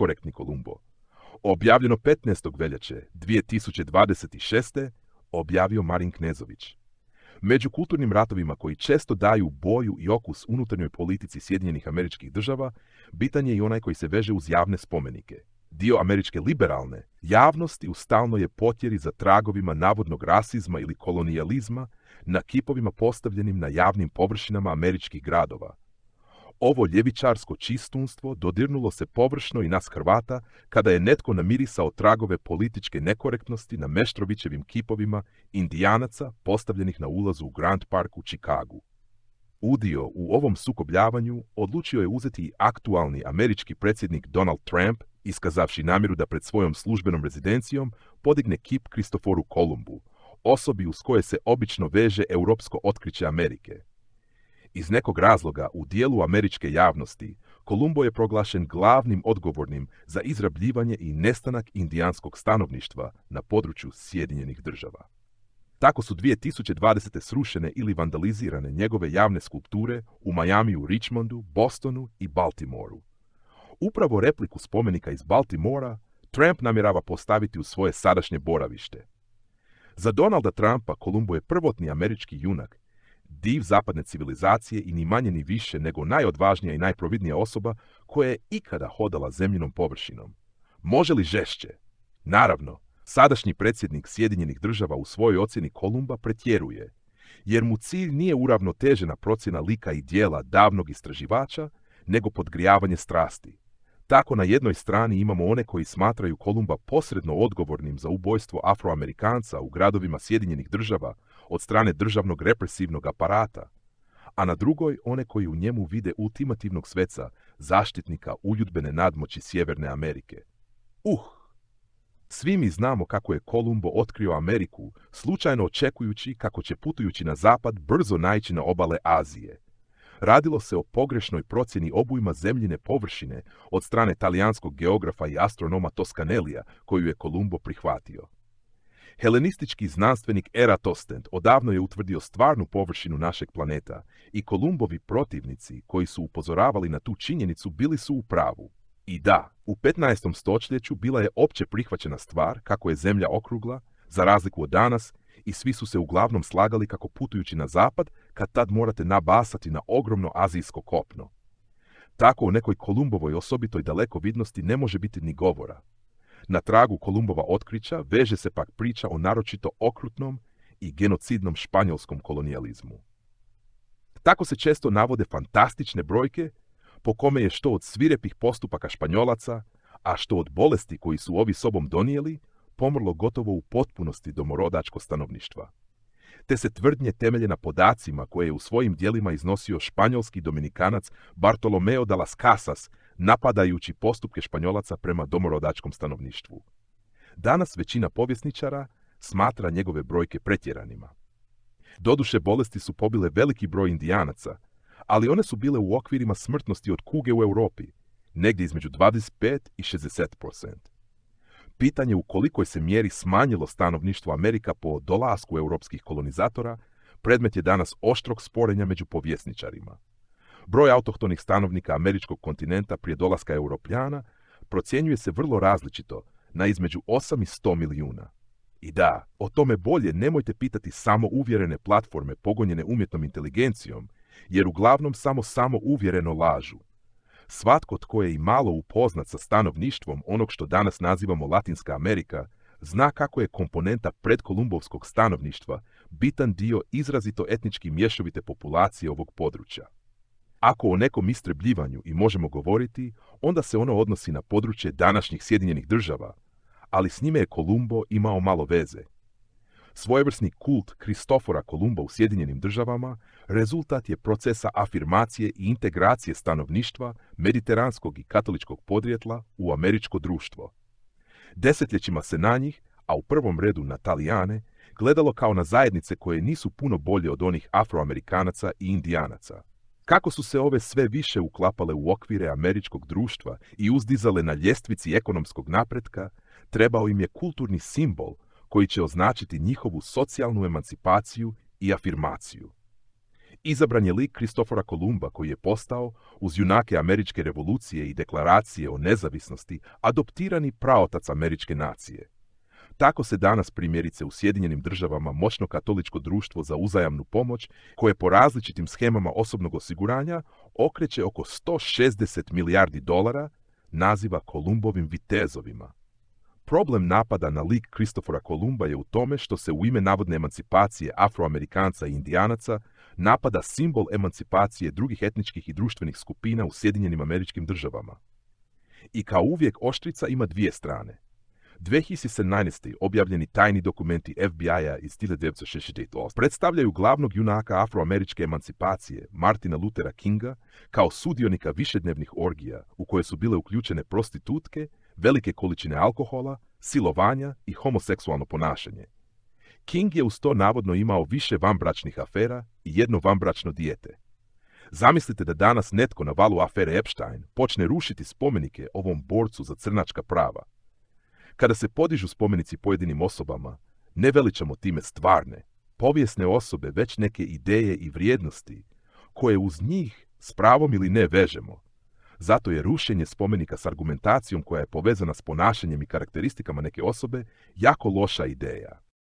korektni Kolumbo. Objavljeno 15. veljače 2026. objavio Marin Knezović. Među kulturnim ratovima koji često daju boju i okus unutarnjoj politici Sjedinjenih Američkih Država, bitan je i onaj koji se veže uz javne spomenike. Dio američke liberalne javnosti u stalnoj je potjeri za tragovima navodnog rasizma ili kolonijalizma na kipovima postavljenim na javnim površinama američkih gradova. Ovo ljevičarsko čistunstvo dodirnulo se površno i nas Hrvata kada je netko namirisao tragove političke nekorektnosti na Meštrovićevim kipovima Indijanaca postavljenih na ulazu u Grand Park u Čikagu. Udio u ovom sukobljavanju odlučio je uzeti i aktualni američki predsjednik Donald Trump, iskazavši namjeru da pred svojom službenom rezidencijom podigne kip Kristoforu Kolumbu, osobi uz koje se obično veže europsko otkriće Amerike. Iz nekog razloga u dijelu američke javnosti Kolumbo je proglašen glavnim odgovornim za izrabljivanje i nestanak indijanskog stanovništva na području Sjedinjenih Država. Tako su 2020. srušene ili vandalizirane njegove javne skulpture u Majamiju, Richmondu, Bostonu i Baltimoru. Upravo repliku spomenika iz Baltimora Trump namjerava postaviti u svoje sadašnje boravište. Za Donalda Trumpa Kolumbo je prvotni američki junak, div zapadne civilizacije i ni manje ni više nego najodvažnija i najprovidnija osoba koja je ikada hodala zemljinom površinom. Može li žešće? Naravno, sadašnji predsjednik Sjedinjenih Država u svojoj ocjeni Kolumba pretjeruje, jer mu cilj nije uravnotežena procjena lika i djela davnog istraživača, nego podgrijavanje strasti. Tako na jednoj strani imamo one koji smatraju Kolumba posredno odgovornim za ubojstvo Afroamerikanca u gradovima Sjedinjenih Država od strane državnog represivnog aparata, a na drugoj one koji u njemu vide ultimativnog sveca, zaštitnika uljudbene nadmoći Sjeverne Amerike. Svi mi znamo kako je Kolumbo otkrio Ameriku, slučajno očekujući kako će putujući na zapad brzo naići na obale Azije. Radilo se o pogrešnoj procjeni obujma zemljine površine od strane talijanskog geografa i astronoma Toscanelija, koju je Kolumbo prihvatio. Helenistički znanstvenik Eratostent odavno je utvrdio stvarnu površinu našeg planeta i Kolumbovi protivnici koji su upozoravali na tu činjenicu bili su u pravu. I da, u 15. stoljeću bila je opće prihvaćena stvar kako je zemlja okrugla, za razliku od danas, i svi su se uglavnom slagali kako putujući na zapad, kad tad morate nabasati na ogromno azijsko kopno. Tako o nekoj Kolumbovoj osobitoj dalekovidnosti ne može biti ni govora. Na tragu Kolumbova otkrića veže se pak priča o naročito okrutnom i genocidnom španjolskom kolonijalizmu. Tako se često navode fantastične brojke po kome je što od svirepih postupaka Španjolaca, a što od bolesti koji su ovi sobom donijeli, pomrlo gotovo u potpunosti domorodačko stanovništva. Te se tvrdnje temelje na podacima koje je u svojim dijelima iznosio španjolski dominikanac Bartolomeo de las Casas, napadajući postupke Španjolaca prema domorodačkom stanovništvu. Danas većina povjesničara smatra njegove brojke pretjeranima. Doduše, bolesti su pobile veliki broj Indijanaca, ali one su bile u okvirima smrtnosti od kuge u Europi, negdje između 25 i 60%. Pitanje u kolikoj se mjeri smanjilo stanovništvo Amerika po dolasku europskih kolonizatora predmet je danas oštrog sporenja među povjesničarima. Broj autohtonih stanovnika američkog kontinenta prije dolaska Europljana procjenjuje se vrlo različito na između 8 i 100 milijuna. I da, o tome bolje nemojte pitati samo uvjerene platforme pogonjene umjetnom inteligencijom, jer uglavnom samo uvjereno lažu. Svatko tko je i malo upoznat sa stanovništvom onog što danas nazivamo Latinska Amerika, zna kako je komponenta predkolumbovskog stanovništva bitan dio izrazito etnički mješovite populacije ovog područja. Ako o nekom istrebljivanju i možemo govoriti, onda se ono odnosi na područje današnjih Sjedinjenih Država, ali s njime je Kolumbo imao malo veze. Svojevrsni kult Kristofora Kolumba u Sjedinjenim Državama rezultat je procesa afirmacije i integracije stanovništva mediteranskog i katoličkog podrijetla u američko društvo. Desetljećima se na njih, a u prvom redu na Talijane, gledalo kao na zajednice koje nisu puno bolje od onih Afroamerikanaca i Indijanaca. Kako su se ove sve više uklapale u okvire američkog društva i uzdizale na ljestvici ekonomskog napretka, trebao im je kulturni simbol koji će označiti njihovu socijalnu emancipaciju i afirmaciju. Izabran je lik Kristofora Kolumba koji je postao, uz junake američke revolucije i deklaracije o nezavisnosti, adoptirani praotac američke nacije. Tako se danas primjerice u Sjedinjenim državama moćno katoličko društvo za uzajamnu pomoć, koje po različitim schemama osobnog osiguranja okreće oko 160 milijardi dolara, naziva Kolumbovim vitezovima. Problem napada na lik Kristofora Kolumba je u tome što se u ime navodne emancipacije Afroamerikanca i Indijanaca napada simbol emancipacije drugih etničkih i društvenih skupina u Sjedinjenim Američkim Državama. I kao uvijek oštrica ima dvije strane. 2017. objavljeni tajni dokumenti FBI-a iz 1968 predstavljaju glavnog junaka afroameričke emancipacije, Martina Luthera Kinga, kao sudionika višednevnih orgija u koje su bile uključene prostitutke, velike količine alkohola, silovanja i homoseksualno ponašanje. King je uz to navodno imao više vanbračnih afera i jedno vanbračno dijete. Zamislite da danas netko na valu afere Epstein počne rušiti spomenike ovom borcu za crnačka prava. Kada se podižu spomenici pojedinim osobama, ne veličamo time stvarne, povijesne osobe, već neke ideje i vrijednosti, koje uz njih s pravom ili ne vežemo. Zato je rušenje spomenika s argumentacijom koja je povezana s ponašanjem i karakteristikama neke osobe jako loša ideja.